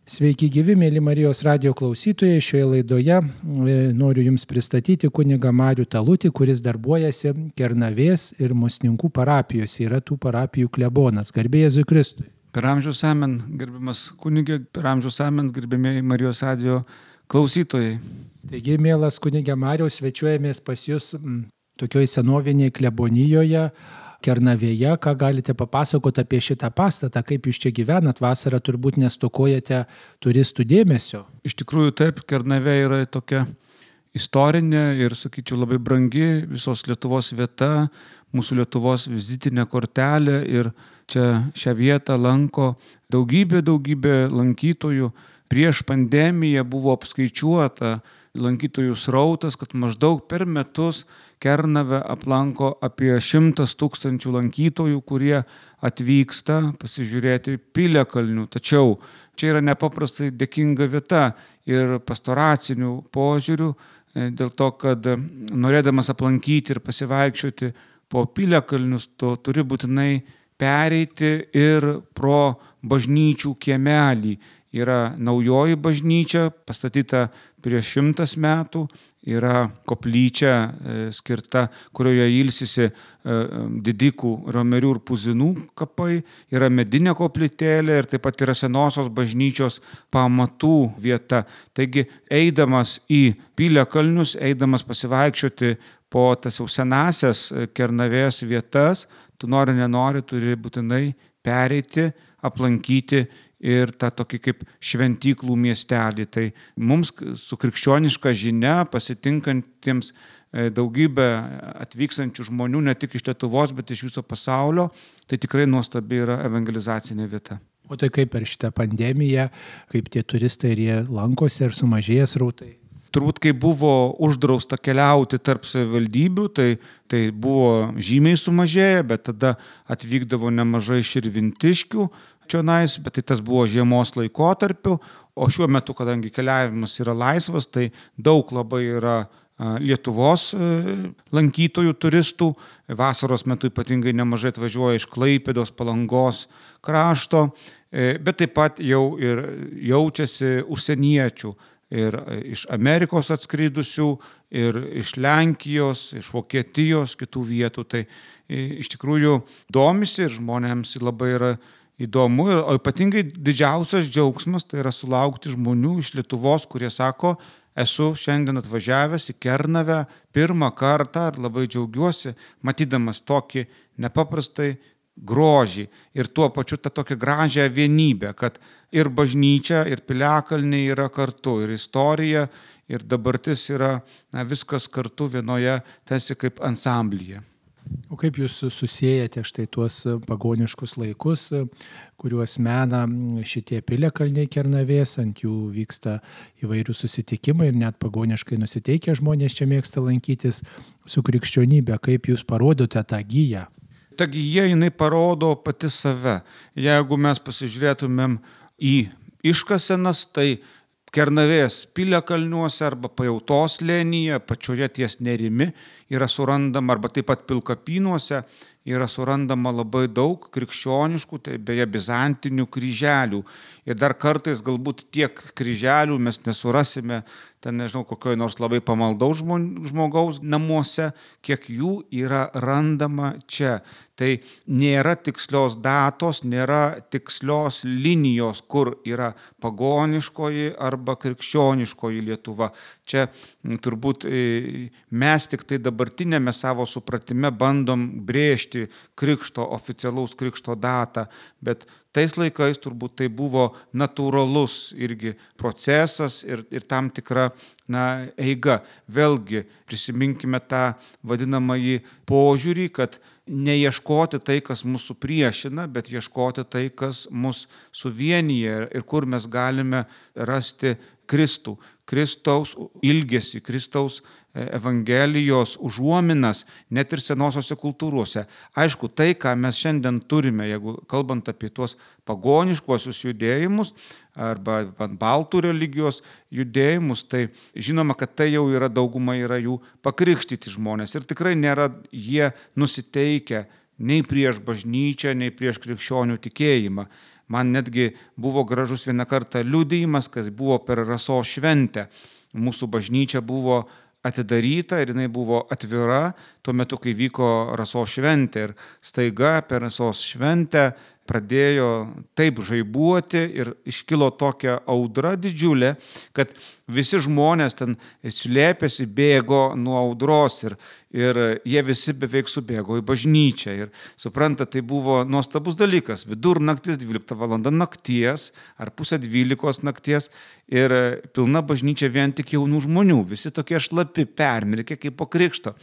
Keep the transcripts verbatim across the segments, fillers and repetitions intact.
Sveiki gyvi, mėly Marijos radijo klausytojai. Šioje laidoje noriu Jums pristatyti kunigą Marių Talutį, kuris darbuojasi Kernavės ir Musninkų parapijose. Yra tų parapijų klebonas. Garbė Jėzui Kristui. Per amžius amen, gerbiamas kunigė, per amžius amen, gerbėmiai Marijos radijo klausytojai. Taigi, mielas kunigė Mariau, svečiuojamės pas Jūs tokioj senovinėje klebonijoje, Kernavėje. Ką galite papasakoti apie šitą pastatą, kaip Jūs čia gyvenat? Vasarą turbūt nestokojate turistų dėmesio. Iš tikrųjų taip, Kernavė yra tokia istorinė ir, sakyčiau, labai brangi visos Lietuvos vieta, mūsų Lietuvos vizitinė kortelė, ir čia šią vietą lanko daugybė, daugybė lankytojų. Prieš pandemiją buvo apskaičiuota lankytojų srautas, kad maždaug per metus Kernavę aplanko apie šimtas tūkstančių lankytojų, kurie atvyksta pasižiūrėti piliakalnių. Tačiau čia yra nepaprastai dėkinga vieta ir pastoracinių požiūrių, dėl to, kad norėdamas aplankyti ir pasivaikščioti po piliakalnius, tu turi būtinai pereiti ir pro bažnyčių kiemelį. Yra naujoji bažnyčia, pastatyta prieš šimtas metų, yra koplyčia skirta, kurioje ilsisi didikų, romerių ir puzinų kapai, yra medinė koplytėlė ir taip pat yra senosios bažnyčios pamatų vieta. Taigi, eidamas į piliakalnius, eidamas pasivaikščioti po tas jau senasias Kernavės vietas, tu nori nenori turi būtinai pereiti, aplankyti ir tą tokį kaip šventyklų miestelį. Tai mums su krikščioniška žinia, pasitinkantiems daugybę atvykstančių žmonių, ne tik iš Lietuvos, bet iš viso pasaulio, tai tikrai nuostabi yra evangelizacinė vieta. O tai kaip per šitą pandemiją, kaip tie turistai ir jie lankosi, ar sumažėjęs srautai? Turbūt, kai buvo uždrausta keliauti tarp savivaldybių, tai, tai buvo žymiai sumažėję, bet tada atvykdavo nemažai širvintiškių čionais, bet tai tas buvo žiemos laikotarpiu, o šiuo metu, kadangi keliavimas yra laisvas, tai daug labai yra Lietuvos lankytojų, turistų. Vasaros metu ypatingai nemažai atvažiuoja iš Klaipėdos, Palangos krašto, bet taip pat jau ir jaučiasi užsieniečių. Ir iš Amerikos atskridusių, ir iš Lenkijos, iš Vokietijos, kitų vietų. Tai iš tikrųjų domisi ir žmonėms labai yra įdomu. O ypatingai didžiausias džiaugsmas tai yra sulaukti žmonių iš Lietuvos, kurie sako, esu šiandien atvažiavęs į Kernavę pirmą kartą ir labai džiaugiuosi, matydamas tokį nepaprastai grožį ir tuo pačiu tą tokią gražią vienybę, kad ir bažnyčia, ir piliakalniai yra kartu, ir istorija, ir dabartis yra na, viskas kartu vienoje, tarsi kaip ansamblyje. O kaip Jūs susiejate štai tuos pagoniškus laikus, kuriuos mena šitie piliakalniai Kernavės, ant jų vyksta įvairių susitikimai ir net pagoniškai nusiteikę žmonės čia mėgsta lankytis, su krikščionybė, kaip Jūs parodote tą giją? Ta gija, jinai parodo pati save. Jeigu mes pasižiūrėtumėm į iškasenas, tai Kernavės piliakalniuose arba Pajautos slėnyje, pačioje ties Nerimi, yra surandama, arba taip pat Pilkapynuose, yra surandama labai daug krikščioniškų, tai beje bizantinių kryželių. Ir dar kartais galbūt tiek kryželių mes nesurasime, ten nežinau, kokioj nors labai pamaldaus žmogaus namuose, kiek jų yra randama čia. Tai nėra tikslios datos, nėra tikslios linijos, kur yra pagoniškoji arba krikščioniškoji Lietuva. Čia turbūt mes tik tai dabartinėme savo supratime bandom brėžti krikšto, oficialaus krikšto datą, bet tais laikais turbūt tai buvo natūralus irgi procesas ir, ir tam tikra na, eiga. Vėlgi prisiminkime tą vadinamąjį požiūrį, kad neieškoti tai, kas mūsų priešina, bet ieškoti tai, kas mus suvienyje ir kur mes galime rasti Kristų, Kristaus ilgesį, Kristaus Evangelijos užuominas net ir senosiose kultūrose. Aišku, tai, ką mes šiandien turime, jeigu kalbant apie tuos pagoniškuosius judėjimus arba baltų religijos judėjimus, tai žinoma, kad tai jau yra dauguma yra jų pakrikštyti žmonės ir tikrai nėra jie nusiteikę nei prieš bažnyčią, nei prieš krikščionių tikėjimą. Man netgi buvo gražus vieną kartą liudijimas, kas buvo per Rasos šventę. Mūsų bažnyčia buvo atidaryta ir jinai buvo atvira tuo metu, kai vyko Rasos šventė. Ir staiga per Rasos šventę pradėjo taip žaibuoti ir iškilo tokia audra didžiulė, kad visi žmonės ten slėpėsi, bėgo nuo audros ir, ir jie visi beveik subėgo į bažnyčią. Ir supranta, tai buvo nuostabus dalykas. Vidurnaktis, dvylikta valanda nakties ar pusę dvylikos nakties ir pilna bažnyčia vien tik jaunų žmonių. Visi tokie šlapi, permirkę kaip po krikšto.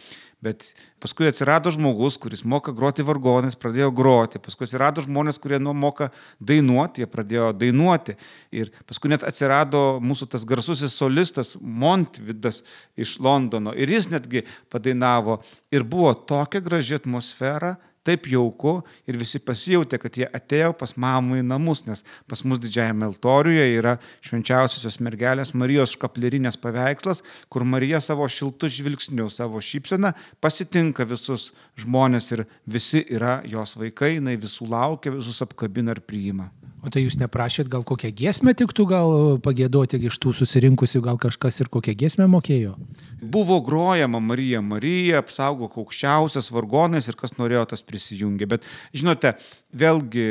Bet paskui atsirado žmogus, kuris moka groti vargonais, pradėjo groti. Paskui atsirado žmonės, kurie nu, moka dainuoti, jie pradėjo dainuoti. Ir paskui net atsirado mūsų tas garsusis solistas Montvidas iš Londono. Ir jis netgi padainavo. Ir buvo tokia graži atmosfera, taip jauku ir visi pasijautė, kad jie atėjo pas mamą į namus, nes pas mus didžiajame altoriuje yra švenčiausiosios mergelės Marijos škaplierinės paveikslas, kur Marija savo šiltu žvilgsniu, savo šypseną pasitinka visus žmonės ir visi yra jos vaikai, jinai visų laukia, visus apkabina ir priima. O tai jūs neprašėt, gal kokią giesmę tiktų gal pagiedoti iš tų susirinkusių, gal kažkas ir kokią giesmę mokėjo? Buvo grojama Marija, Marija, apsaugok aukščiausias vargonais ir kas norėjo, tas prisijungė. Bet žinote, vėlgi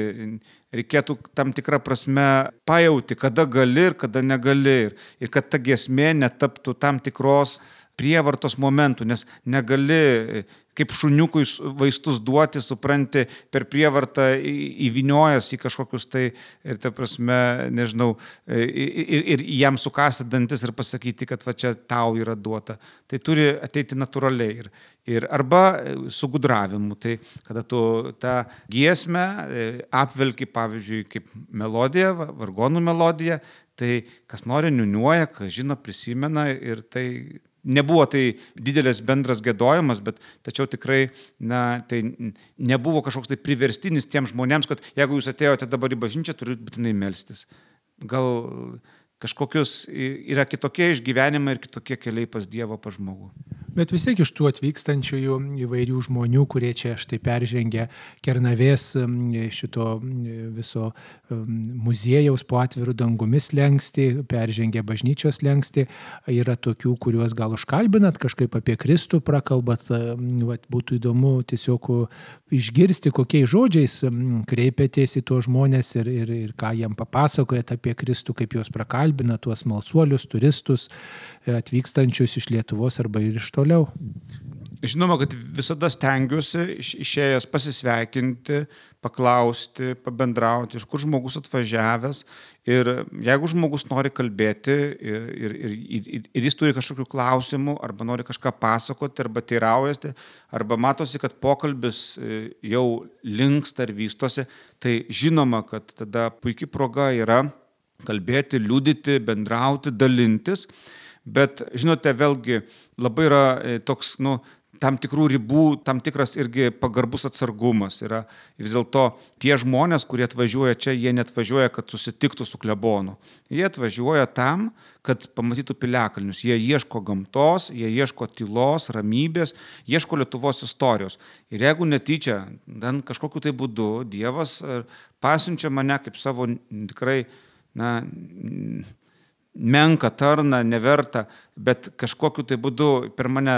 reikėtų tam tikrą prasme pajauti, kada gali ir kada negali. Ir, ir kad ta giesmė netaptų tam tikros prievartos momentų, nes negali kaip šuniukui vaistus duoti, supranti, per prievartą įvyniojas į kažkokius tai, ir ta prasme, nežinau, ir, ir jam sukasti dantis ir pasakyti, kad va čia tau yra duota. Tai turi ateiti natūraliai. Ir, ir arba su gudravimu, tai kada tu tą giesmę apvelki, pavyzdžiui, kaip melodiją, vargonų melodiją, tai kas nori niuniuoja, kas žino, prisimena ir tai nebuvo tai didelis bendras giedojimas, bet tačiau tikrai na, tai nebuvo kažkoks tai priverstinis tiems žmonėms, kad jeigu jūs atėjote dabar į bažnyčią, turite būtinai melstis. Gal kažkokius yra kitokie išgyvenimai ir kitokie keliai pas Dievą, pas žmogų. Bet vis tiek iš tų atvykstančiųjų įvairių žmonių, kurie čia štai peržengia Kernavės šito viso muziejaus po atvirų dangumis lengsti, peržengia bažnyčios lengsti, yra tokių, kuriuos gal užkalbinat, kažkaip apie Kristų prakalbat, vat, būtų įdomu tiesiog išgirsti, kokiais žodžiais kreipėtės į tuos žmonės ir, ir, ir ką jiem papasakojat apie Kristų, kaip juos prakalbina, tuos smalsuolius, turistus, atvykstančius iš Lietuvos arba ir iš toliau. Žinoma, kad visada stengiuosi išėjęs pasisveikinti, paklausti, pabendrauti, iš kur žmogus atvažiavęs. Ir jeigu žmogus nori kalbėti ir, ir, ir, ir jis turi kažkokių klausimų, arba nori kažką pasakoti, arba teiraujasi, arba matosi, kad pokalbis jau linksta ir vystosi, tai žinoma, kad tada puikia proga yra kalbėti, liudyti, bendrauti, dalintis. Bet, žinote, vėlgi labai yra toks, nu, tam tikrų ribų, tam tikras irgi pagarbus atsargumas. Yra vis dėlto tie žmonės, kurie atvažiuoja čia, jie netvažiuoja, kad susitiktų su klebonu. Jie atvažiuoja tam, kad pamatytų piliakalnius. Jie ieško gamtos, jie ieško tylos, ramybės, ieško Lietuvos istorijos. Ir jeigu netyčia, ten kažkokiu tai būdu Dievas pasiunčia mane kaip savo tikrai, na, menka tarna, neverta, bet kažkokiu tai būdu per mane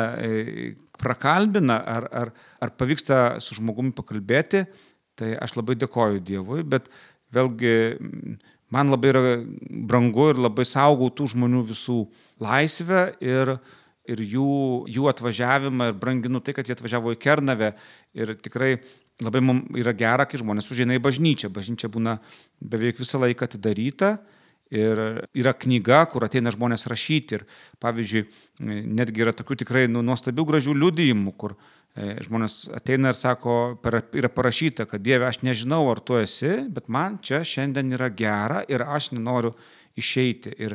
prakalbina ar, ar, ar pavyksta su žmogumi pakalbėti, tai aš labai dėkoju Dievui, bet vėlgi man labai yra brangu ir labai saugau tų žmonių visų laisvę ir, ir jų, jų atvažiavimą ir branginu tai, kad jie atvažiavo į Kernavę ir tikrai labai mums yra gera, kai žmonės užeina į bažnyčią. Bažnyčia būna beveik visą laiką atidaryta. Ir yra knyga, kur ateina žmonės rašyti ir, pavyzdžiui, netgi yra tokių tikrai nu, nuostabių gražių liudijimų, kur e, žmonės ateina ir sako, per, yra parašyta, kad Dieve, aš nežinau, ar tu esi, bet man čia šiandien yra gera ir aš nenoriu išeiti. Ir,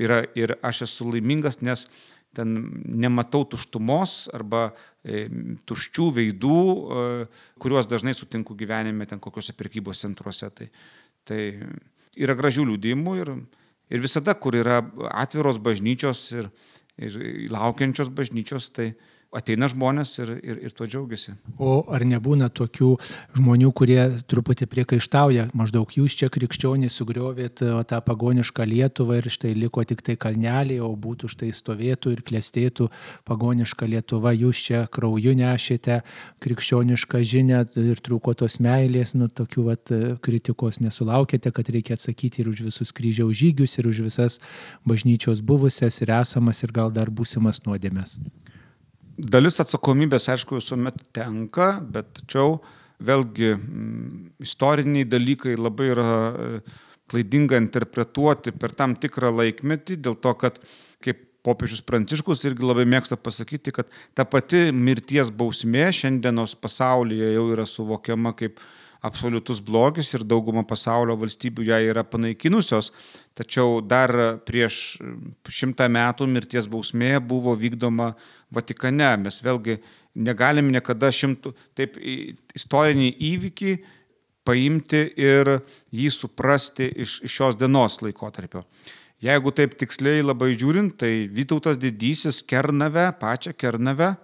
yra, ir aš esu laimingas, nes ten nematau tuštumos arba e, tuščių veidų, e, kuriuos dažnai sutinku gyvenime ten kokiuose prekybos centruose. Tai, tai yra gražių liudijimų ir, ir visada, kur yra atviros bažnyčios ir, ir laukiančios bažnyčios, tai ateina žmonės ir, ir, ir tuo džiaugiasi. O ar nebūna tokių žmonių, kurie truputį priekaištauja, maždaug jūs čia krikščionys sugriovėt tą pagonišką Lietuvą ir štai liko tik tai kalneliai, o būtų štai stovėtų ir klestėtų pagoniška Lietuva, jūs čia krauju nešėte krikščionišką žinią ir trūko tos meilės, nu tokių vat kritikos nesulaukėte, kad reikia atsakyti ir už visus kryžiaus žygius, ir už visas bažnyčios buvusias ir esamas ir gal dar būsimas nuodėmes. Dalis atsakomybės, aišku, visuomet tenka, bet tačiau vėlgi m, istoriniai dalykai labai yra klaidinga interpretuoti per tam tikrą laikmetį, dėl to, kad kaip popiežius Pranciškus irgi labai mėgsta pasakyti, kad ta pati mirties bausmė šiandienos pasaulyje jau yra suvokiama kaip absoliutus blogis ir dauguma pasaulio valstybių ją yra panaikinusios, tačiau dar prieš šimtą metų mirties bausmė buvo vykdoma Vatikane. Mes vėlgi negalim niekada šimtų, taip istorinį įvykį paimti ir jį suprasti iš, iš šios dienos laikotarpio. Jeigu taip tiksliai labai žiūrint, tai Vytautas Didysis Kernavę, pačią Kernavę,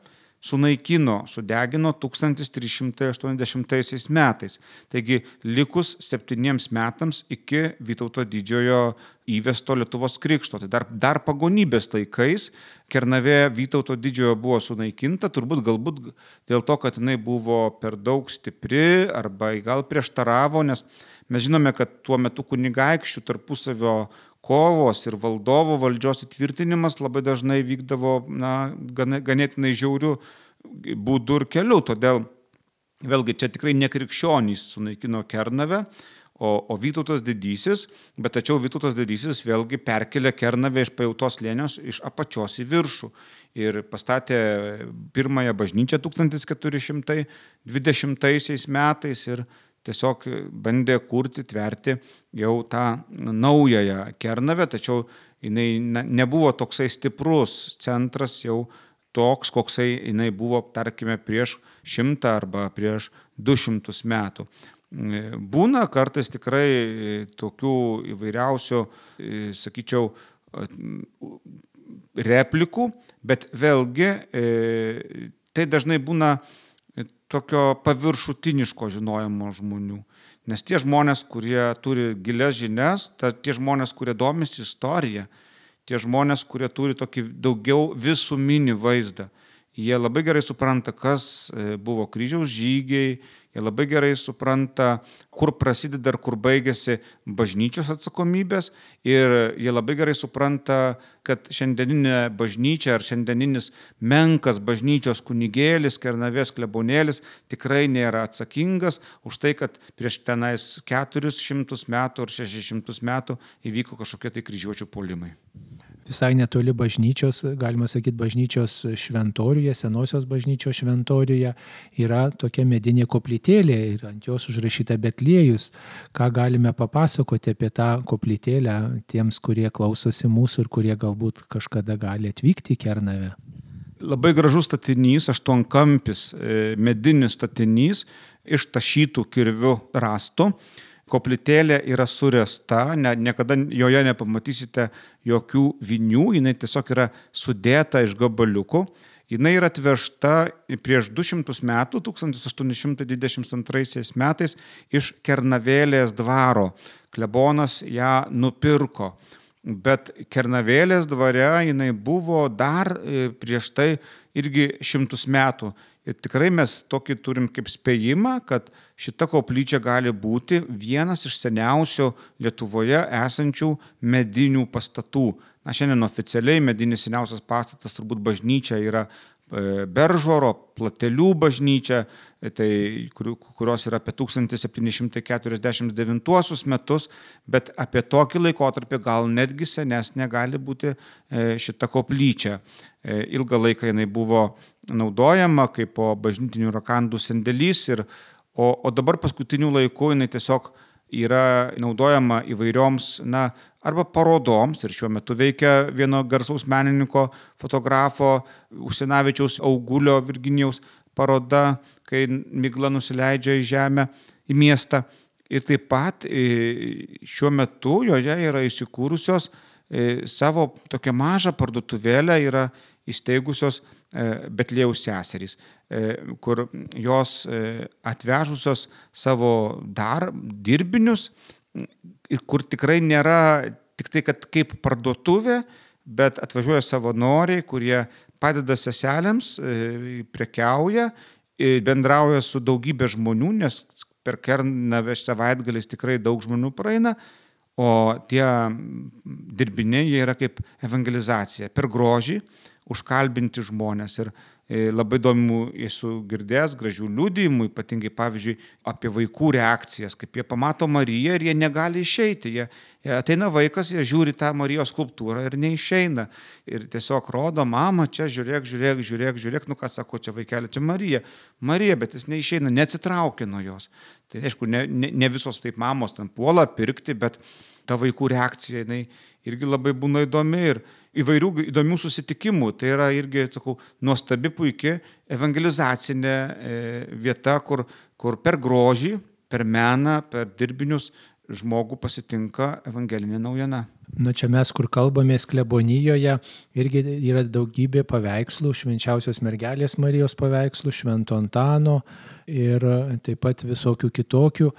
sunaikino, sudegino tūkstantis trys šimtai aštuoniasdešimtaisiais metais. Taigi likus septyniems metams iki Vytauto didžiojo įvesto Lietuvos krikšto. Tai dar, dar pagonybės laikais Kernavė Vytauto didžiojo buvo sunaikinta, turbūt galbūt dėl to, kad jinai buvo per daug stipri arba gal prieštaravo, nes mes žinome, kad tuo metu kunigaikščių tarpusavio kovos ir valdovo valdžios įtvirtinimas labai dažnai vykdavo na, ganėtinai žiaurių būdų ir kelių. Todėl vėlgi čia tikrai ne krikščionys sunaikino Kernavę, o, o Vytautas Didysis, bet tačiau Vytautas Didysis vėlgi perkelė Kernavę iš Pajautos slėnios iš apačios į viršų ir pastatė pirmąją bažnyčią tūkstantis keturi šimtai dvidešimtaisiais metais ir tiesiog bandė kurti, tverti jau tą naująją Kernavę, tačiau jinai nebuvo toksai stiprus centras jau toks, koksai jinai buvo, tarkime, prieš šimtą arba prieš du šimtus metų. Būna kartais tikrai tokių įvairiausių, sakyčiau, replikų, bet vėlgi tai dažnai būna tokio paviršutiniško žinojimo žmonių. Nes tie žmonės, kurie turi gilias žinias, ta, tie žmonės, kurie domisi istorija, tie žmonės, kurie turi tokį daugiau visuminį vaizdą, jie labai gerai supranta, kas buvo kryžiaus žygiai, jie labai gerai supranta, kur prasideda ir kur baigėsi bažnyčios atsakomybės ir jie labai gerai supranta, kad šiandieninė bažnyčia ar šiandieninis menkas bažnyčios kunigėlis, Kernavės klebonėlis tikrai nėra atsakingas už tai, kad prieš tenais keturis šimtus metų ar šešis šimtus metų įvyko kažkokie tai kryžiuočių puolimai. Visai netoli bažnyčios, galima sakyti, bažnyčios šventoriuje, senosios bažnyčios šventoriuje yra tokia medinė koplytėlė ir ant jos užrašyta Betliejus. Ką galime papasakoti apie tą koplytėlę tiems, kurie klausosi mūsų ir kurie galbūt kažkada gali atvykti į Kernavę? Labai gražus statinys, aštuonkampis medinis statinys iš tašytų kirvių rąstų. Koplytėlė yra suręsta, ne, niekada joje nepamatysite jokių vinių, jinai tiesiog yra sudėta iš gabaliukų. Jinai yra atvežta prieš du šimtus metų, tūkstantis aštuoni šimtai dvidešimt antraisiais metais iš Kernavėlės dvaro. Klebonas ją nupirko, bet Kernavėlės dvare jinai buvo dar prieš tai irgi šimtus metų. Ir tikrai mes tokį turim kaip spėjimą, kad šita koplyčia gali būti vienas iš seniausių Lietuvoje esančių medinių pastatų. Na, šiandien oficialiai medinis seniausias pastatas turbūt bažnyčia yra Beržoro, Platelių bažnyčia, tai, kurios yra apie tūkstantis septyni šimtai keturiasdešimt devintuosius metus, bet apie tokį laikotarpį gal netgi senesnė gali būti šita koplyčia. Ilgą laiką jinai buvo naudojama kaip po bažnytinių rakandų sandėlys, ir, o, o dabar paskutiniu laiku jinai tiesiog yra naudojama įvairioms, na, arba parodoms, ir šiuo metu veikia vieno garsaus menininko, fotografo Usinavičiaus Augulio Virginijaus paroda, kai migla nusileidžia į žemę, į miestą. Ir taip pat šiuo metu joje yra įsikūrusios savo tokią mažą parduotuvėlę, yra įsteigusios Betliejaus seserys, kur jos atvežusios savo dar dirbinius, kur tikrai nėra tik tai, kad kaip parduotuvė, bet atvažiuoja savanoriai, kurie padeda seselėms, prekiauja, bendrauja su daugybė žmonių, nes per Kernavę savaitgaliais tikrai daug žmonių praeina, o tie dirbiniai jie yra kaip evangelizacija, per grožį užkalbinti žmonės. Ir labai įdomių esu girdėjęs gražių liudijimų, ypatingai pavyzdžiui apie vaikų reakcijas, kaip jie pamato Mariją ir jie negali išeiti. Jie, jie ateina vaikas, jie žiūri tą Marijos skulptūrą ir neišeina. Ir tiesiog rodo, mama, čia žiūrėk, žiūrėk, žiūrėk, žiūrėk, nu ką sako, čia vaikelė, čia Marija. Marija, bet jis neišeina, neatsitraukia nuo jos. Tai aišku, ne, ne, ne visos taip mamos ten puola pirkti, bet ta vaikų reakcija, jinai irgi labai būna įdomi ir įvairių įdomių susitikimų. Tai yra irgi, sakau, nuostabi puikia evangelizacinė vieta, kur, kur per grožį, per meną, per dirbinius žmogų pasitinka evangelinė naujiena. Na čia mes, kur kalbamės klebonijoje, irgi yra daugybė paveikslų, švenčiausios mergelės Marijos paveikslų, Švento Antano ir taip pat visokių kitokių.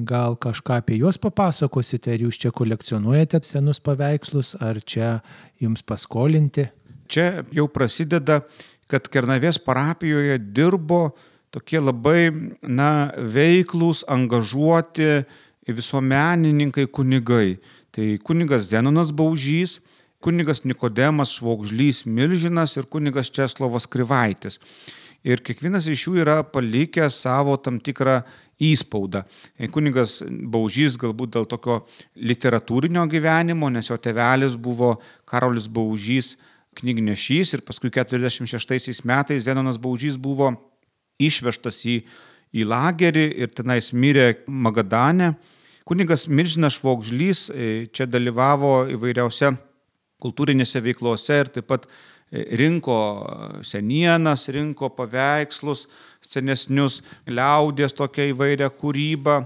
Gal kažką apie juos papasakosite, ar jūs čia kolekcionuojate senus paveikslus, ar čia jums paskolinti? Čia jau prasideda, kad Kernavės parapijoje dirbo tokie labai na, veiklūs, angažuoti visuomenininkai, kunigai. Tai kunigas Zenonas Baužys, kunigas Nikodemas Švogžlys Milžinas ir kunigas Česlovas Krivaitis. Ir kiekvienas iš jų yra palikęs savo tam tikrą įspaudą. Kunigas Baužys galbūt dėl tokio literatūrinio gyvenimo, nes jo tėvelis buvo Karolis Baužys knygnešys ir paskui keturiasdešimt šeštaisiais metais Zenonas Baužys buvo išvežtas į, į lagerį ir tenais mirė Magadane. Kunigas Milžinas Švogžlys čia dalyvavo įvairiausiose kultūrinėse veiklose ir taip pat rinko senienas, rinko paveikslus, senesnius, liaudies tokią įvairią kūrybą.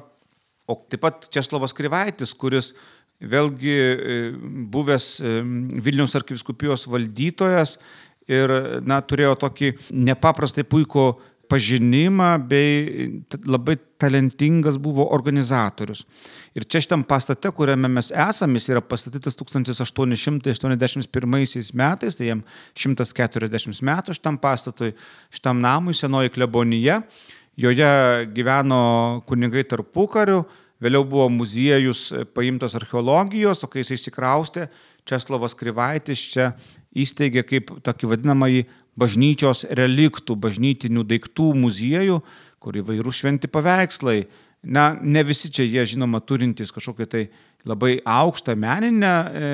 O taip pat Česlovas Krivaitis, kuris vėlgi buvęs Vilniaus arkivyskupijos valdytojas ir na, turėjo tokį nepaprastai puikų pažinimą bei labai talentingas buvo organizatorius. Ir čia šitam pastate, kuriame mes esame, jis yra pastatytas tūkstantis aštuoni šimtai aštuoniasdešimt pirmaisiais metais, tai jam šimtas keturiasdešimt metų šitam pastatui, šitam namui, senoji klebonija. Joje gyveno kunigai tarpukariu, vėliau buvo muziejus paimtas archeologijos, o kai jis įsikraustė, Česlovas Krivaitis čia įsteigė kaip tokį vadinamąjį bažnyčios reliktų, bažnytinių daiktų muziejų, kur įvairių šventi paveikslai. Na, ne visi čia jie, žinoma, turintys kažkokią tai labai aukštą meninę e,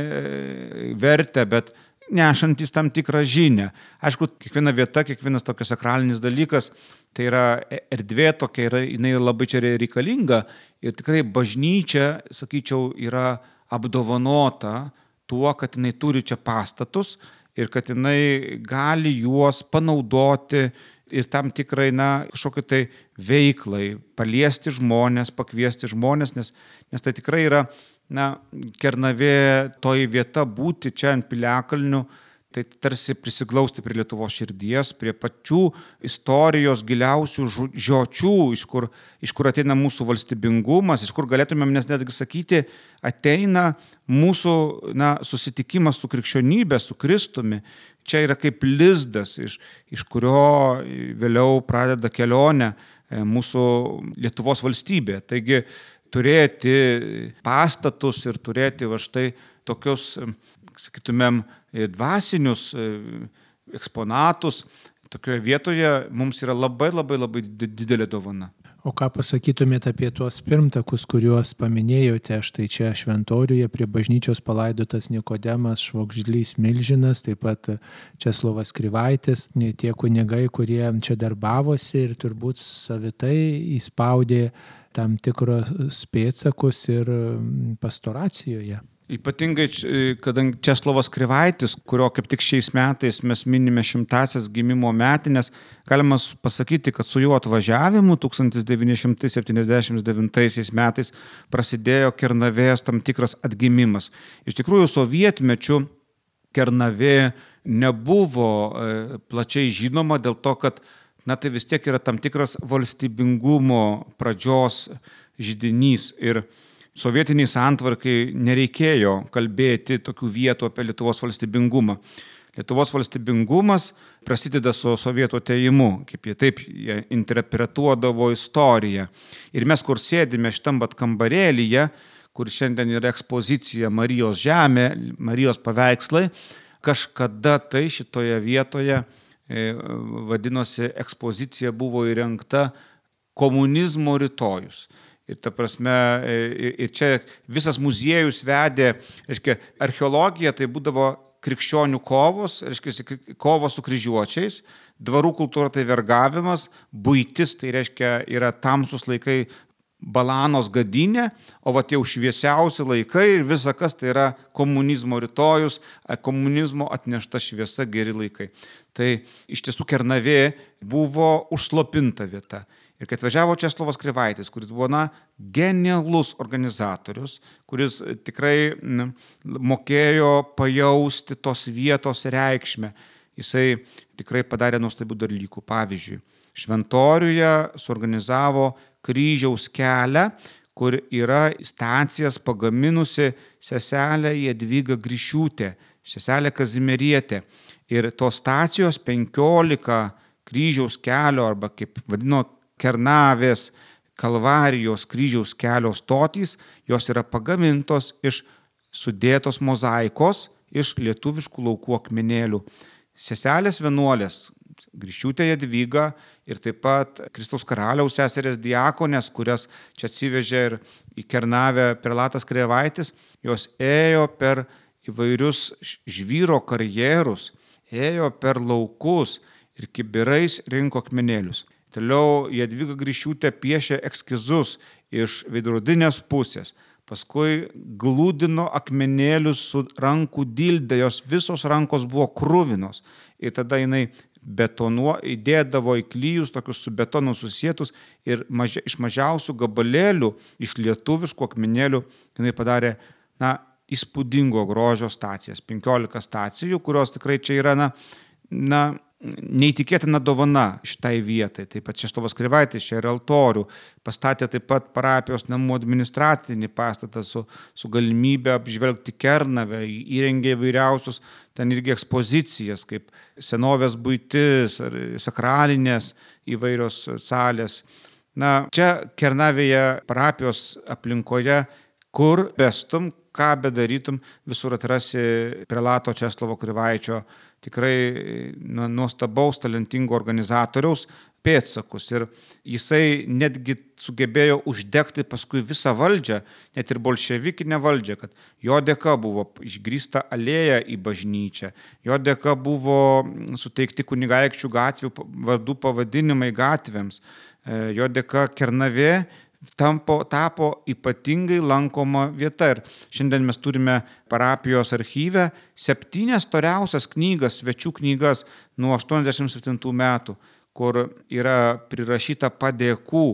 vertę, bet nešantis tam tikrą žinią. Aišku, kiekviena vieta, kiekvienas tokias sakralinis dalykas, tai yra erdvė tokia, yra, jinai labai čia reikalinga ir tikrai bažnyčia, sakyčiau, yra apdovanota tuo, kad jinai turi čia pastatus, ir kad jinai gali juos panaudoti ir tam tikrai, na, kažkokiai tai veiklai, paliesti žmonės, pakviesti žmonės, nes, nes tai tikrai yra, na, Kernavė toji vieta būti čia ant Piliakalnių, tai tarsi prisiglausti prie Lietuvos širdies, prie pačių istorijos giliausių žiočių, iš kur, iš kur ateina mūsų valstybingumas, iš kur galėtumėm nes netgi sakyti, ateina mūsų na, susitikimas su krikščionybė, su Kristumi. Čia yra kaip lizdas, iš, iš kurio vėliau pradeda kelionę mūsų Lietuvos valstybė. Taigi turėti pastatus ir turėti va štai tokius, sakytumėm, dvasinius eksponatus tokioje vietoje mums yra labai labai labai didelė dovana. O ką pasakytumėte apie tuos pirmtakus, kuriuos paminėjote, štai čia šventoriuje prie bažnyčios palaidotas Nikodemas Švogžlys Milžinas, taip pat Česlovas Krivaitis, tie kunigai, kurie čia darbavosi ir turbūt savitai įspaudė tam tikros pėdsakus ir pastoracijoje. Ypatingai, kadangi Česlovas Krivaitis, kurio kaip tik šiais metais mes minime šimtasias gimimo metinės, galima pasakyti, kad su juo atvažiavimu tūkstantis devyni šimtai septyniasdešimt devintaisiais metais prasidėjo Kernavės tam tikras atgimimas. Iš tikrųjų, sovietmečiu Kernavė nebuvo plačiai žinoma dėl to, kad na, tai vis tiek yra tam tikras valstybingumo pradžios židinys ir sovietiniai santvarkai nereikėjo kalbėti tokių vietų apie Lietuvos valstybingumą. Lietuvos valstybingumas prasideda su sovietų atėjimu, kaip jie taip jie interpretuodavo istoriją. Ir mes, kur sėdime šitam bat kambarėlyje, kur šiandien yra ekspozicija Marijos žemė, Marijos paveikslai, kažkada tai šitoje vietoje e, vadinosi ekspozicija buvo įrengta komunizmo rytojus. Ir ta prasme, ir čia visas muziejus vedė, reiškia, archeologija tai būdavo krikščionių kovos, reiškia, kovos su kryžiuočiais, dvarų kultūra tai vergavimas, buitis tai reiškia yra tamsus laikai Balanos gadinė, o va tie jau šviesiausi laikai ir visa kas tai yra komunizmo rytojus, komunizmo atnešta šviesa geri laikai. Tai iš tiesų Kernavė buvo užslopinta vieta. Ir kai atvažiavo Česlovas Krivaitis, kuris buvo na, genialus organizatorius, kuris tikrai na, mokėjo pajausti tos vietos reikšmę, jisai tikrai padarė nuostabių dalykų. Pavyzdžiui, Šventoriuje suorganizavo kryžiaus kelią, kur yra stacijas pagaminusi seselė Jadvyga Grišiūtė, seselė Kazimierietė. Ir tos stacijos penkiolika kryžiaus kelio, arba kaip vadino Kernavės Kalvarijos kryžiaus kelio stotys, jos yra pagamintos iš sudėtos mozaikos, iš lietuviškų laukų akmenėlių. Seselės vienuolės, Grišiūtė Jadvyga ir taip pat Kristaus karaliaus seserės diakonės, kurias čia atsivežė ir į Kernavę prelatas Krivaitis, jos ėjo per įvairius žvyro karjerus, ėjo per laukus ir kibirais rinko akmenėlius. Toliau Jadvyga Grišiūtė piešė eskizus iš veidrodinės pusės, paskui glūdino akmenėlius su rankų dilde, jos visos rankos buvo kruvinos ir tada jinai betonuo, įdėdavo į klijus tokius su betonu susietus ir mažia, iš mažiausių gabalėlių, iš lietuviškų akmenėlių jinai padarė na, įspūdingo grožio stacijas, penkiolika stacijų, kurios tikrai čia yra na, na, neįtikėtina dovana šitai vietai. Taip pat Česlovas Krivaitis čia yra altorių, pastatė taip pat parapijos namų administracinį pastatą su, su galimybė apžvelgti Kernavę, įrengė įvairiausius ten irgi ekspozicijas, kaip senovės buitis ar sakralinės įvairios salės. Na, čia Kernavėje parapijos aplinkoje, kur bestum, ką bedarytum, visur atrasi prelato Česlovo Krivaičio tikrai nuostabaus, talentingo organizatoriaus pėdsakus. Ir jisai netgi sugebėjo uždegti paskui visą valdžią, net ir bolševikinę valdžią, kad jo dėka buvo išgrįsta alėja į bažnyčią, jo dėka buvo suteikti kunigaikščių gatvių vardų pavadinimai gatvėms, jo dėka Kernavė Tampo, tapo ypatingai lankoma vieta ir šiandien mes turime parapijos archyve septynias storiausias knygas, svečių knygas nuo aštuoniasdešimt septintų metų, kur yra prirašyta padėkų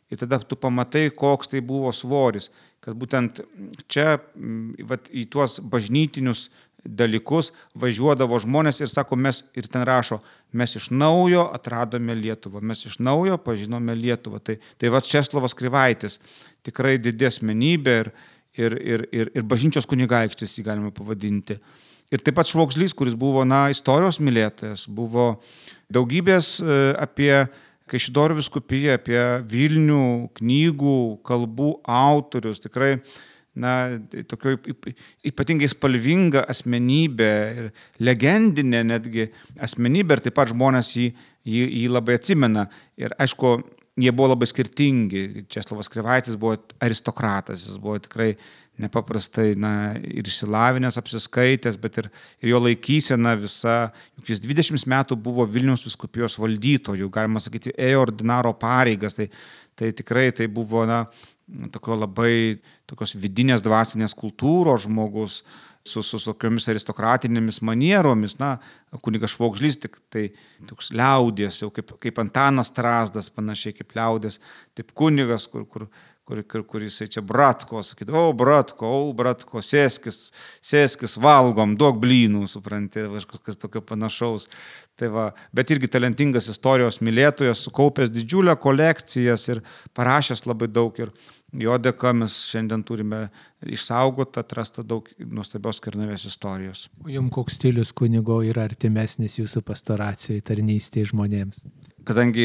ir tada tu pamatai, koks tai buvo svoris, kad būtent čia vat, į tuos bažnytinius dalykus važiuodavo žmonės ir sako, mes ir ten rašo, mes iš naujo atradome Lietuvą, mes iš naujo pažinome Lietuvą. Tai, tai va Česlovas Krivaitis, tikrai didi asmenybė ir, ir, ir, ir, ir bažnyčios kunigaikštis jį galima pavadinti. Ir taip pat Švogžlys, kuris buvo na, istorijos mylėtojas, buvo daugybės apie Kaišiadorių vyskupiją, apie Vilnių knygų, kalbų autorius, tikrai na, tokio ypatingai spalvinga asmenybė ir legendinė netgi asmenybė ir taip pat žmonės jį, jį, jį labai atsimena. Ir aišku, jie buvo labai skirtingi. Česlovas Krivaitis buvo aristokratas, jis buvo tikrai nepaprastai na, ir išsilavinęs, apsiskaitęs, bet ir, ir jo laikysena visa, juk jis dvidešimt metų buvo Vilniaus vyskupijos valdytojų, galima sakyti, ėjo ordinaro pareigas, tai, tai tikrai tai buvo na, tokio labai tokios vidinės dvasinės kultūros žmogus su, su tokiomis aristokratinėmis manieromis. Na, kunigas Švogžlys tik tai toks liaudės, jau kaip, kaip Antanas Strazdas, panašiai kaip liaudės, taip kunigas, kur, kur, kur, kur, kur jisai čia Bratko, sakydavo, o Bratko, o Bratko, sėskis, sėskis, valgom, duok blynų, supranti, kažkas tokio panašaus. Tai va, bet irgi talentingas istorijos mylėtojas, sukaupęs didžiulę kolekcijas ir parašęs labai daug ir jo dėka mes šiandien turime išsaugotą, atrastą daug nuostabios Kernavės istorijos. O jums koks stilius kunigo yra artimesnis jūsų pastoracijai, tarnystėje žmonėms? Kadangi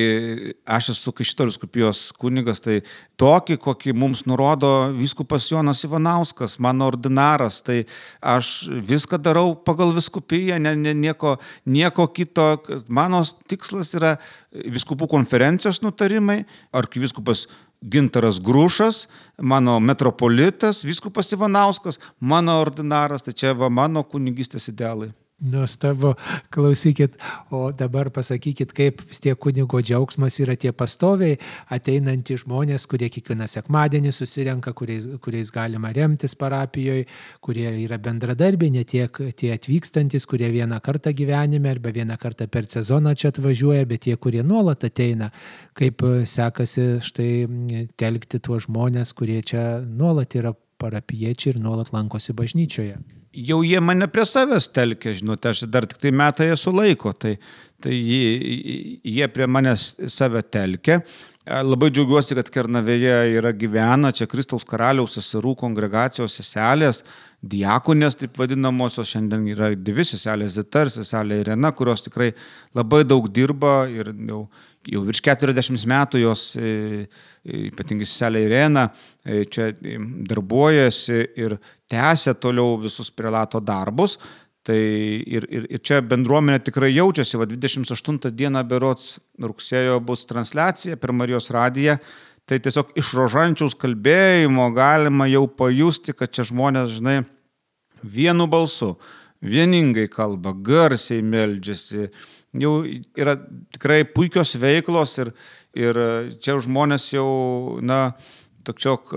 aš esu Kaišiadorių vyskupijos kunigas, tai tokį, kokį mums nurodo vyskupas Jonas Ivanauskas, mano ordinaras, tai aš viską darau pagal vyskupiją, ne, ne, nieko, nieko kito. Mano tikslas yra vyskupų konferencijos nutarimai, arkivyskupas Gintaras Grušas, mano metropolitas, vyskupas Ivanauskas, mano ordinaras, tai čia va mano kunigystės idealai. Nuostabu, klausykit, o dabar pasakykit, kaip vis tiek kunigo džiaugsmas yra tie pastoviai ateinantys žmonės, kurie kiekvieną sekmadienį susirenka, kuriais, kuriais galima remtis parapijoje, kurie yra bendradarbiai, ne tiek tie atvykstantis, kurie vieną kartą gyvenime arba vieną kartą per sezoną čia atvažiuoja, bet tie, kurie nuolat ateina, kaip sekasi štai telkti tuos žmonės, kurie čia nuolat yra parapiečiai ir nuolat lankosi bažnyčioje. Jau jie mane prie savęs telkia, žinote, aš dar tik tai metai esu laiko, tai, tai jie, jie prie manęs save telkia. Labai džiaugiuosi, kad Kernavėje yra gyvena čia Kristaus karaliaus seserų kongregacijos seselės, diakonės, taip vadinamosios, šiandien yra dvi seselės Zita ir seselė Irena, kurios tikrai labai daug dirba ir jau, jau virš keturiasdešimt metų jos, ypatingai seselė Irena, čia darbuojasi ir tęsia toliau visus prelato darbus. Tai ir, ir, ir čia bendruomenė tikrai jaučiasi, va dvidešimt aštuntą dieną berods rugsėjo bus transliacija per Marijos radiją, tai tiesiog iš rožančiaus kalbėjimo galima jau pajusti, kad čia žmonės, žinai, vienu balsu, vieningai kalba, garsiai meldžiasi, jau yra tikrai puikios veiklos ir, ir čia žmonės jau, na, tokiok,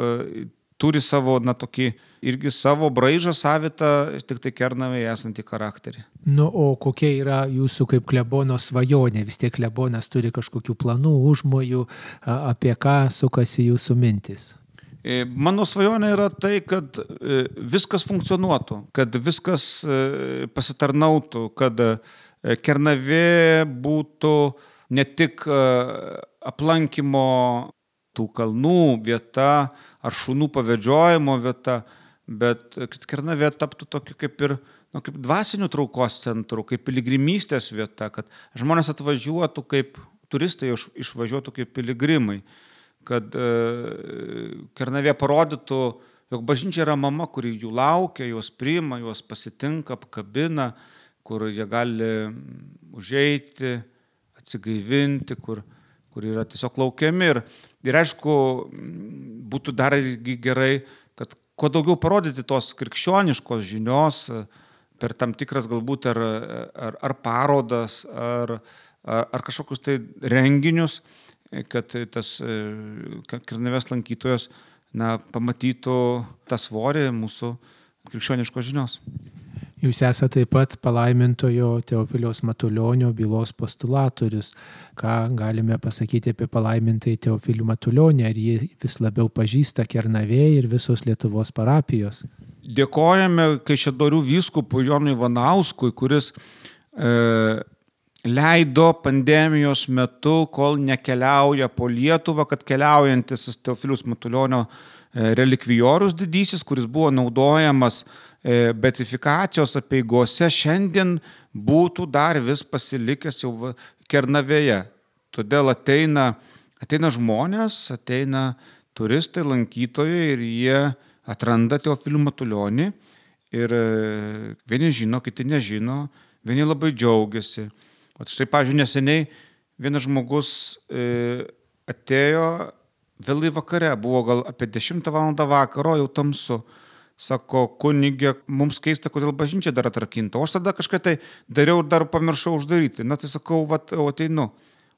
turi savo, na, tokį irgi savo braižą savitą, tik tai Kernavėje esantį charakterį. Nu, o kokia yra jūsų kaip klebono svajonė? Vis tiek klebonas turi kažkokių planų, užmojų, apie ką sukasi jūsų mintis? Mano svajonė yra tai, kad viskas funkcionuotų, kad viskas pasitarnautų, kad Kernavė būtų ne tik aplankymo tų kalnų vieta ar šunų pavedžiojimo vieta, bet kad Kernavė taptų tokiu kaip ir nu, kaip dvasinių traukos centrų, kaip piligrimystės vieta, kad žmonės atvažiuotų kaip turistai, išvažiuotų kaip piligrimai, kad e, Kernavė parodytų, jog bažnyčia yra mama, kuri jų laukia, juos priima, juos pasitinka, apkabina, kur jie gali užeiti, atsigaivinti, kur, kur yra tiesiog laukiami. Ir, ir aišku, būtų dar gerai, kad kuo daugiau parodyti tos krikščioniškos žinios per tam tikras galbūt ar, ar, ar parodas, ar, ar kažkokius tai renginius, kad tas Kernavės lankytojas na, pamatytų tą svorį mūsų krikščioniškos žinios. Jūs esate taip pat palaimintojo Teofiliaus Matulionio bylos postulatorius. Ką galime pasakyti apie palaimintąjį Teofilių Matulionį? Ar jį vis labiau pažįsta Kernavė ir visos Lietuvos parapijos? Dėkojame Kaišiadorių vyskupui Jonui Ivanauskui, kuris e, leido pandemijos metu, kol nekeliauja po Lietuvą, kad keliaujantis Teofiliaus Matulionio e, relikvijorius didysis, kuris buvo naudojamas beatifikacijos apeigose, šiandien būtų dar vis pasilikęs jau Kernavėje. Todėl ateina, ateina žmonės, ateina turistai, lankytojai ir jie atranda Teofilių Matulionį ir vieni žino, kiti nežino, vieni labai džiaugiasi. O štai, pavyzdžiui, neseniai vienas žmogus atėjo vėlai vakare, buvo gal apie dešimtą valandą vakaro, jau tamsu. Sako, kunigė, mums keista, kodėl bažnyčia dar atrakinta. O aš tada kažką tai dariau ir dar pamiršau uždaryti. Na tai sakau, vat, o ateinu.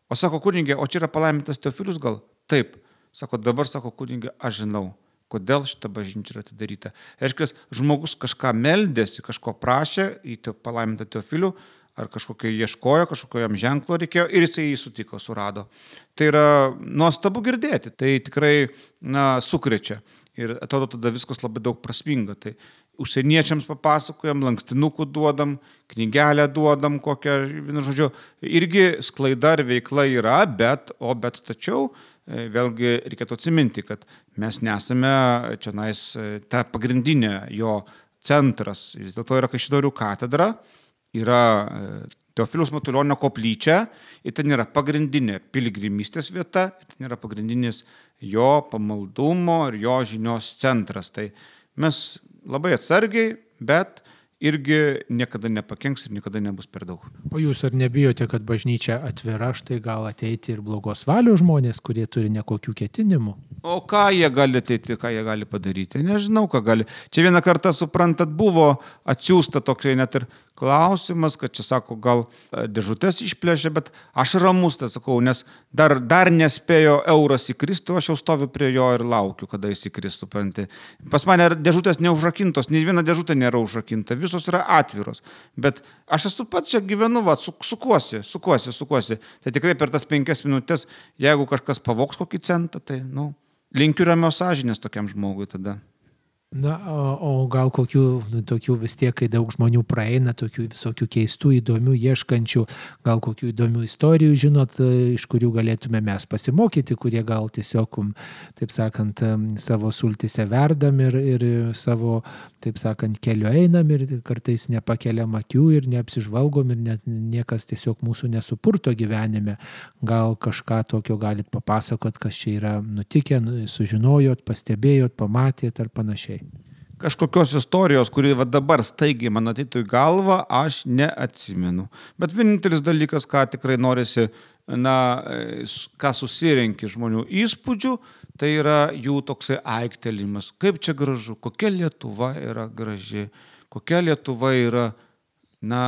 O sako, kunigė, o čia yra palaimintas Teofilius gal? Taip. Sako, dabar sako, kunigė, aš žinau, kodėl šita bažnyčia yra atidaryta. Reiškia, žmogus kažką meldėsi, kažko prašė į palaimintą Teofilių, ar kažkokio ieškojo, kažkokio jam ženklo reikėjo ir jisai jį sutiko, surado. Tai yra nuostabu girdėti, tai tikrai na, sukrečia ir atrodo tada viskas labai daug prasminga. Tai užsieniečiams papasakojam, lankstinukų duodam, knygelę duodam, kokią, vienu žodžiu, irgi sklaida ir veikla yra, bet, o bet tačiau vėlgi reikėtų atsiminti, kad mes nesame čia nais ta pagrindinė jo centras. Vis dėlto yra Kaišiadorių katedra, yra Teofiliaus Matulionio koplyčia ir ten yra pagrindinė piligrimystės vieta, ir ten yra pagrindinis jo pamaldumo ir jo žinios centras. Tai mes labai atsargiai, bet irgi niekada nepakenks ir niekada nebus per daug. O jūs ar nebijote, kad bažnyčia atvira, štai gal ateiti ir blogos valios žmonės, kurie turi nekokių ketinimų? O ką jie gali ateiti, ką jie gali padaryti? Nežinau, ką gali. Čia vieną kartą, suprantat, buvo atsiųsta tokia net ir klausimas, kad čia, sako, gal dėžutės išplėšė, bet aš ramus, tai sakau, nes dar, dar nespėjo euras įkristi, aš jau stoviu prie jo ir laukiu, kada jis įkris, supranti. Pas mane dėžutės neužrakintos, nei viena dėžutė nėra užrakinta, visos yra atviros. Bet aš esu pats čia gyvenu, va, su, sukuosi, sukuosi, sukuosi. Tai tikrai per tas penkias minutės, jeigu kažkas pavoks kokį centą, tai, nu, linkiu ramios sąžinės tokiam žmogui tada. Na, o, o gal kokių tokių vis tiek, kai daug žmonių praeina, tokių visokių keistų, įdomių, ieškančių, gal kokių įdomių istorijų, žinot, iš kurių galėtume mes pasimokyti, kurie gal tiesiog, taip sakant, savo sultise verdam ir, ir savo, taip sakant, keliu einam ir kartais nepakeliam akių ir neapsižvalgom ir net niekas tiesiog mūsų nesupurto gyvenime. Gal kažką tokio galit papasakot, kas čia yra nutikę, sužinojot, pastebėjot, pamatėt ar panašiai. Kažkokios istorijos, kuri va dabar staigiai man ateitų į galvą, aš neatsimenu. Bet vienintelis dalykas, ką tikrai norisi, na, ką susirenki žmonių įspūdžių, tai yra jų toksai aiktelimas. Kaip čia gražu, kokia Lietuva yra graži, kokia Lietuva yra, na,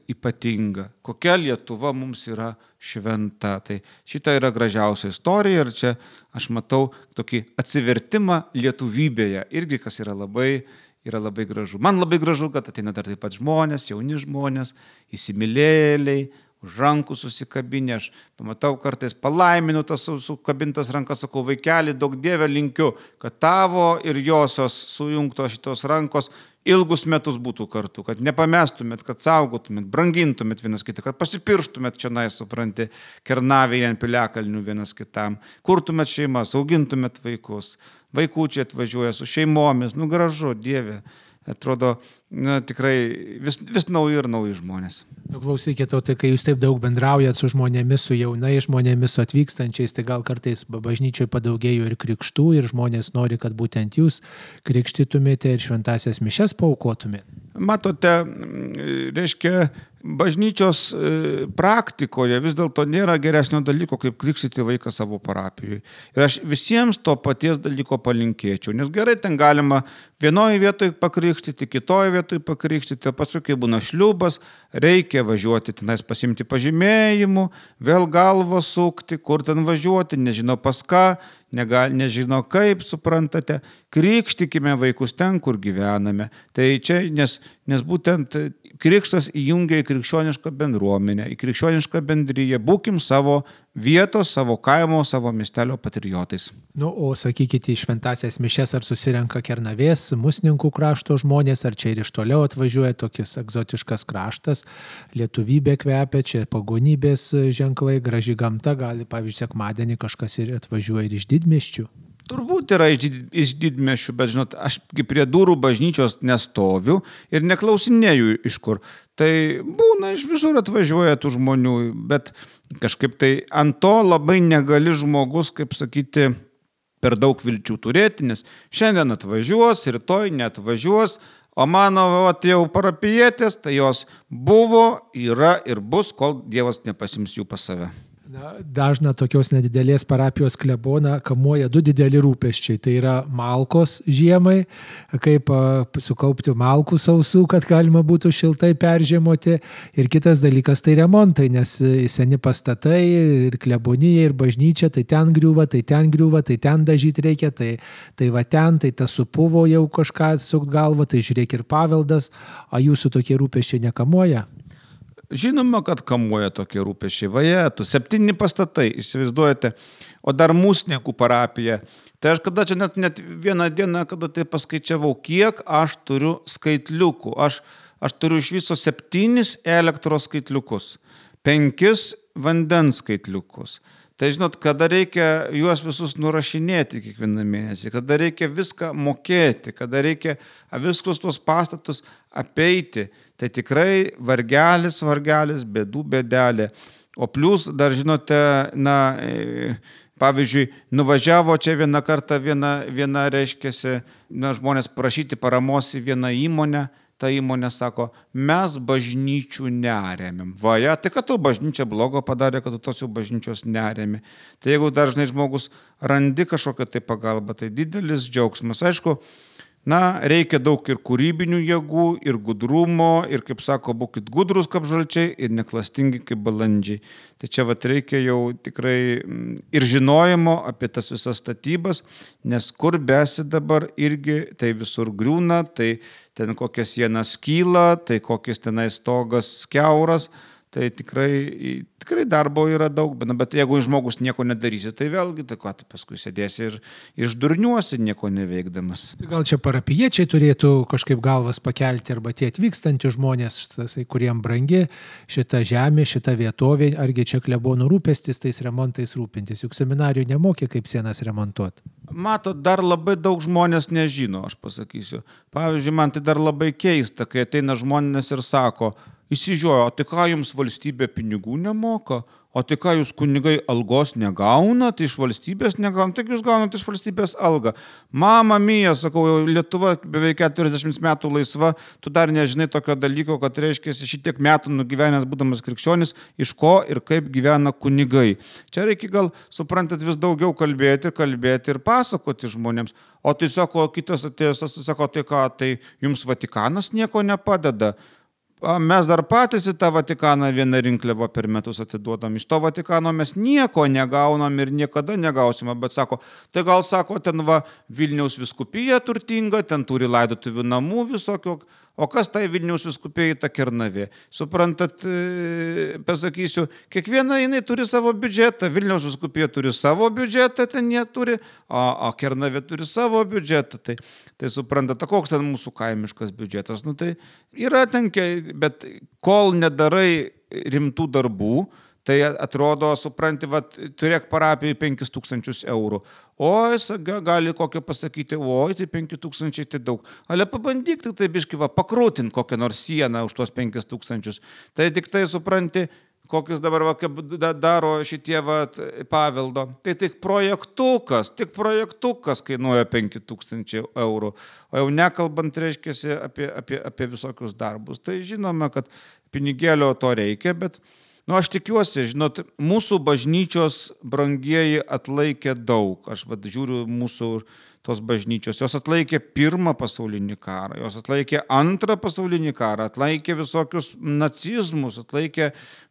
ypatinga, kokia Lietuva mums yra šventa. Tai šita yra gražiausia istorija ir čia aš matau tokį atsivertimą lietuvybėje, irgi kas yra labai, yra labai gražu. Man labai gražu, kad ateina dar taip pat žmonės, jauni žmonės, įsimylėliai, už rankų susikabinę, aš pamatau kartais palaiminu tas sukabintas rankas, sakau, vaikeli, daug Dieve linkiu, kad tavo ir josios sujungtos šitos rankos ilgus metus būtų kartu, kad nepamestumėt, kad saugotumėt, brangintumėt vienas kitą, kad pasipirštumėt čia, nai, supranti, Kernavėje ant piliakalnių vienas kitam, kurtumėt šeimas, augintumėt vaikus, vaikučiai atvažiuoja su šeimomis, nu gražu, Dieve, atrodo, na, tikrai vis, vis nauji ir nauji žmonės. Nu, klausykit, o tai kai jūs taip daug bendraujat su žmonėmis, su jaunai žmonėmis, su atvykstančiais, tai gal kartais bažnyčioje padaugėjo ir krikštų ir žmonės nori, kad būtent jūs krikštytumėte ir šventasias mišias paaukotumėte. Matote, reiškia, bažnyčios praktikoje vis dėlto nėra geresnio dalyko, kaip krikštyti vaiką savo parapijoje. Ir aš visiems to paties dalyko palinkėčiau, nes gerai ten galima vienoje vietoje pakrikštyti, kitoje vietoje pakrikštyti, o paskui, kai būna šliubas, reikia važiuoti tenais pasimti pažymėjimų, vėl galvą sukti, kur ten važiuoti, nežino pas ką, negal, nežino kaip, suprantate, krikštikime vaikus ten, kur gyvename. Tai čia, nes, nes būtent krikštas įjungia į krikščionišką bendruomenę, į krikščionišką bendryją, būkim savo vietos, savo kaimo, savo miestelio patriotais. Nu, o sakykite, į šventasias mišias ar susirenka Kernavės, Musninkų krašto žmonės, ar čia ir iš toliau atvažiuoja tokis egzotiškas kraštas, lietuvybė kvepia, čia pagonybės ženklai, graži gamta, gali, pavyzdžiui, sekmadienį kažkas ir atvažiuoja ir iš didmiesčių. Turbūt yra iš didmiesčių, bet, žinot, aš prie durų bažnyčios nestoviu ir neklausinėju iš kur. Tai būna, iš visur atvažiuoja tų žmonių, bet kažkaip tai ant to labai negali žmogus, kaip sakyti, per daug vilčių turėti, nes šiandien atvažiuos, rytoj neatvažiuos, o mano vat, jau parapijietės, tai jos buvo, yra ir bus, kol Dievas nepasims jų pas save. Na, dažna tokios nedidelės parapijos kleboną kamuoja du dideli rūpesčiai. Tai yra malkos žiemai, kaip sukaupti malkų sausų, kad galima būtų šiltai peržiemoti. Ir kitas dalykas tai remontai, nes seni pastatai ir klebonija, ir bažnyčia, tai ten griūva, tai ten griūva, tai ten dažyti reikia, tai, tai va ten, tai tas supuvo jau kažką sukt galvą, tai žiūrėk ir paveldas, o jūsų tokie rūpesčiai nekamuoja? Žinoma, kad kamuoja tokie rūpesčiai. Vaje, tu septyni pastatai, įsivaizduojate, o dar Musninkų parapija. Tai aš kada čia net, net vieną dieną, kada tai paskaičiavau, kiek aš turiu skaitliukų. Aš, aš turiu iš viso septynis elektros skaitliukus, penkis vandens skaitliukus. Tai žinot, kada reikia juos visus nurašinėti kiekvieną mėnesį, kada reikia viską mokėti, kada reikia visus tuos pastatus apeiti, tai tikrai vargelis, vargelis, bėdų bėdelė. O plus dar, žinote, na, pavyzdžiui, nuvažiavo čia vieną kartą, viena, viena reiškiasi, na, žmonės prašyti paramos į vieną įmonę. Ta įmonė sako, mes bažnyčių neremiam. Vaja, tai kad tu bažnyčia blogo padarė, kad tu tos jau bažnyčios neremi. Tai jeigu dažnai žmogus randi kažkokią tai pagalbą, tai didelis džiaugsmas. Aišku, na, reikia daug ir kūrybinių jėgų, ir gudrumo, ir, kaip sako, būkit gudrus kaip žalčiai, ir neklastingi kaip balandžiai. Tai čia vat reikia jau tikrai ir žinojimo apie tas visas statybas, nes kur besi dabar irgi, tai visur griūna, tai ten kokia siena skyla, tai kokias tenai stogas kiauras, tai tikrai, tikrai darbo yra daug, bet jeigu žmogus nieko nedarysi, tai vėlgi, tai ką, tai paskui sėdėsi ir išdurniuosi nieko neveikdamas. Gal čia parapijiečiai turėtų kažkaip galvas pakelti, arba tie atvykstantys žmonės, tasai, kuriem brangi šita žemė, šita vietovė, argi čia klebonų rūpestis tais remontais rūpintis, juk seminarijų nemokė, kaip sienas remontuoti. Matot, dar labai daug žmonės nežino, aš pasakysiu. Pavyzdžiui, man tai dar labai keista, kai ateina žmonės ir sako, įsižiūrėjo, o tai ką jums valstybė pinigų nemoka, o tai ką jūs kunigai algos negaunat, iš valstybės negaunat, tai jūs gaunat iš valstybės algą. Mama mija, sakau, Lietuva beveik keturiasdešimt metų laisva, tu dar nežinai tokio dalyko, kad reiškia šitiek metų nugyvenęs būdamas krikščionis, iš ko ir kaip gyvena kunigai. Čia reikia gal, suprantat, vis daugiau kalbėti ir kalbėti ir pasakoti žmonėms. O tai sako, kitas atėjęs, sako, tai ką, tai jums Vatikanas nieko nepadeda. Mes dar patys į tą Vatikaną vieną rinkliavą per metus atiduodam. Iš to Vatikano mes nieko negaunam ir niekada negausime, bet sako, tai gal sako, ten va Vilniaus vyskupija turtinga, ten turi laidotuvių namų visokio, o kas tai Vilniaus vyskupijai ta Kernavė? Suprantat, pasakysiu, kiekviena jinai turi savo biudžetą, Vilniaus vyskupija turi savo biudžetą, ten jie turi, o, o Kernavė turi savo biudžetą, tai, tai suprantat, koks ten mūsų kaimiškas biudžetas, nu tai yra ten, bet kol nedarai rimtų darbų, tai atrodo, supranti, vat, turėk parapijai penkis tūkstančius eurų. O jis gali kokią pasakyti, oi, tai penki tūkstančiai tai daug. Ale pabandyk tik tai biškai, va, pakrūtint kokią nors sieną už tuos penkis tūkstančius. Tai tik tai supranti, kokius dabar va, daro šitie va, paveldo. Tai tik projektukas, tik projektukas kainuoja penki tūkstančiai eurų. O jau nekalbant, reiškia, apie, apie, apie visokius darbus. Tai žinome, kad pinigėlio to reikia, bet nu, aš tikiuosi, žinot, mūsų bažnyčios brangieji atlaikė daug. Aš vad žiūriu mūsų tos bažnyčios. Jos atlaikė pirmą pasaulinį karą, jos atlaikė antrą pasaulinį karą, atlaikė visokius nacizmus, atlaikė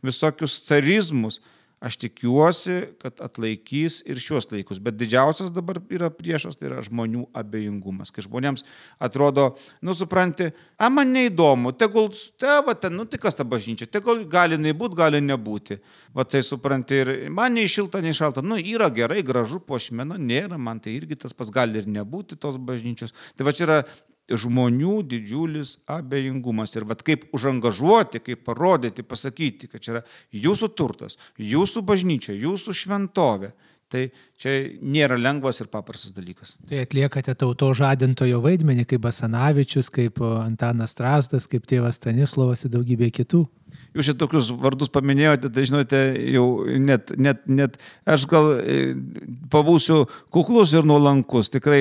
visokius carizmus. Aš tikiuosi, kad atlaikys ir šios laikus, bet didžiausias dabar yra priešas, tai yra žmonių abejingumas. Kai žmonėms atrodo, nu supranti, a man neįdomu, tegul, te, va, ten, nu tai kas ta bažnyčia, tegul gali nebūti, gali nebūti. Va tai supranti, ir man nei šilta, nei šalta, nu yra gerai, gražu, puošmena, nėra, man tai irgi tas pats gali ir nebūti tos bažnyčios. Tai va čia yra žmonių didžiulis abejingumas. Ir vat kaip užangažuoti, kaip parodyti, pasakyti, kad čia yra jūsų turtas, jūsų bažnyčia, jūsų šventovė. Tai čia nėra lengvas ir paprastas dalykas. Tai atliekate tauto žadintojo vaidmenį, kaip Basanavičius, kaip Antanas Strazdas, kaip tėvas Stanislovas ir daugybė kitų. Jūs šitokius tokius vardus paminėjote, tai žinote, jau net, net, net aš gal pabūsiu kuklus ir nuolankus. Tikrai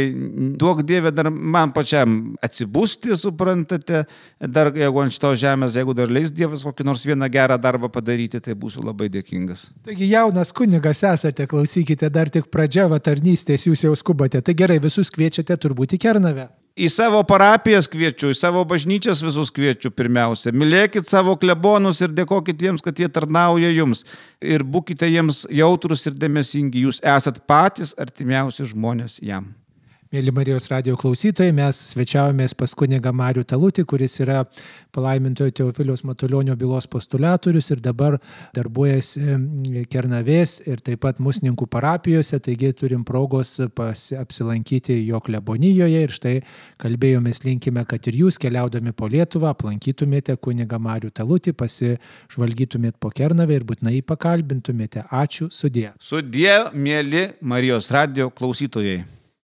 duok Dieve dar man pačiam atsibusti, suprantate, dar jeigu ant šitos žemės, jeigu dar leis Dievas kokį nors vieną gerą darbą padaryti, tai būsiu labai dėkingas. Taigi jaunas kunigas esate, klausykite, dar tik pradžia va tarnystės, jūs jau skubate. Tai gerai, visus kviečiate turbūt į Kernavę. Į savo parapijas kviečiu, į savo bažnyčias visus kviečiu pirmiausia. Mylėkit savo klebonus ir dėkokit jiems, kad jie tarnauja jums. Ir būkite jiems jautrus ir dėmesingi. Jūs esat patys artimiausi žmonės jam. Mėly Marijos radijo klausytojai, mes svečiavomės pas kunigą Marių Talutį, kuris yra palaimintojo Teofiliaus Matulionio bylos postulatorius ir dabar darbuojasi Kernavės ir taip pat Musninkų parapijose, taigi turim progos pas, apsilankyti jo klebonijoje ir štai kalbėjomės, linkime, kad ir jūs keliaudami po Lietuvą aplankytumėte kunigą Marių Talutį, pasižvalgytumėte po Kernavę ir būtinai pakalbintumėte. Ačiū, sudie. Sudie, mėly Marijos radijo klausytojai.